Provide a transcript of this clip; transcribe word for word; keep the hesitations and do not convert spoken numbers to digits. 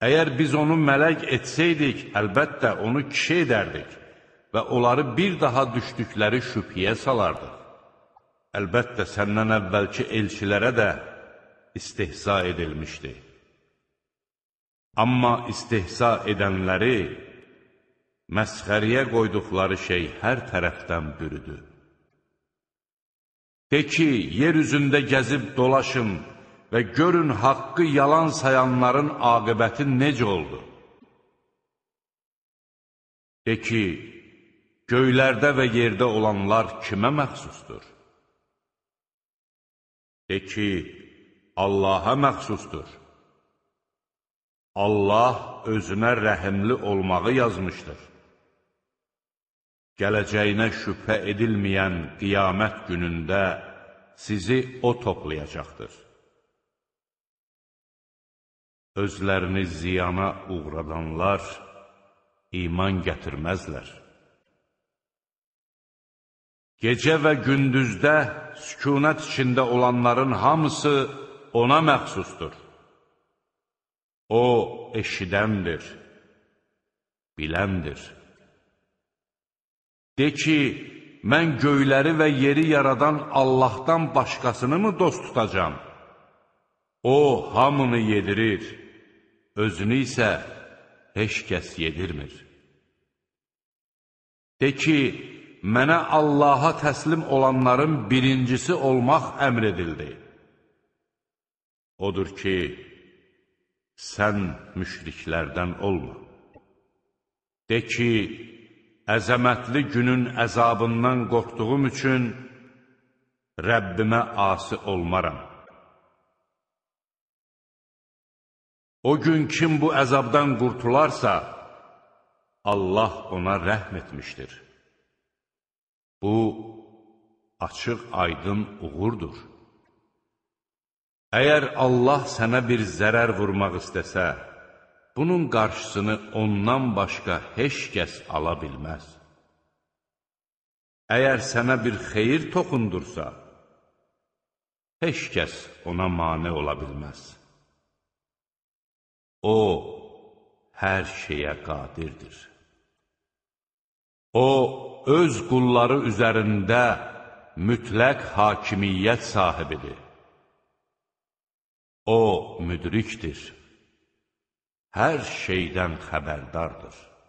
Əgər biz onu mələk etsəydik, əlbəttə onu kişi edərdik və onları bir daha düşdükləri şübhəyə salardıq. Əlbəttə səndən əvvəlki elçilərə də istehza edilmişdi. Amma istehza edənləri məsxəriyə qoyduqları şey hər tərəfdən bürüdü. De ki, yer üzündə gəzib dolaşın və görün haqqı yalan sayanların aqibəti necə oldu? De ki, göylərdə və yerdə olanlar kimə məxsusdur? De ki, Allaha məxsusdur. Allah özünə rəhimli olmağı yazmışdır. Gələcəyinə şübhə edilməyən qiyamət günündə sizi O toplayacaqdır. Özlərini ziyana uğradanlar iman gətirməzlər. Gecə və gündüzdə sükunət içində olanların hamısı ona məxsusdur. O eşidəndir, biləndir. De ki, mən göyləri və yeri yaradan Allahdan başqasını mı dost tutacam? O hamını yedirir, özünü isə heç kəs yedirmir. De ki, mənə Allaha təslim olanların birincisi olmaq əmr edildi. Odur ki, sən müşriklərdən olma. De ki, əzəmətli günün əzabından qorxduğum üçün Rəbbimə asi olmaram. O gün kim bu əzabdan qurtularsa, Allah ona rəhm etmişdir. Bu, açıq aydın uğurdur. Əgər Allah sənə bir zərər vurmaq istəsə, bunun qarşısını ondan başqa heç kəs ala bilməz. Əgər sənə bir xeyir toxundursa, heç kəs ona mane ola bilməz. O, hər şeyə qadirdir. O, öz qulları üzərində mütləq hakimiyyət sahibidir. O, müdrikdir, hər şeydən xəbərdardır.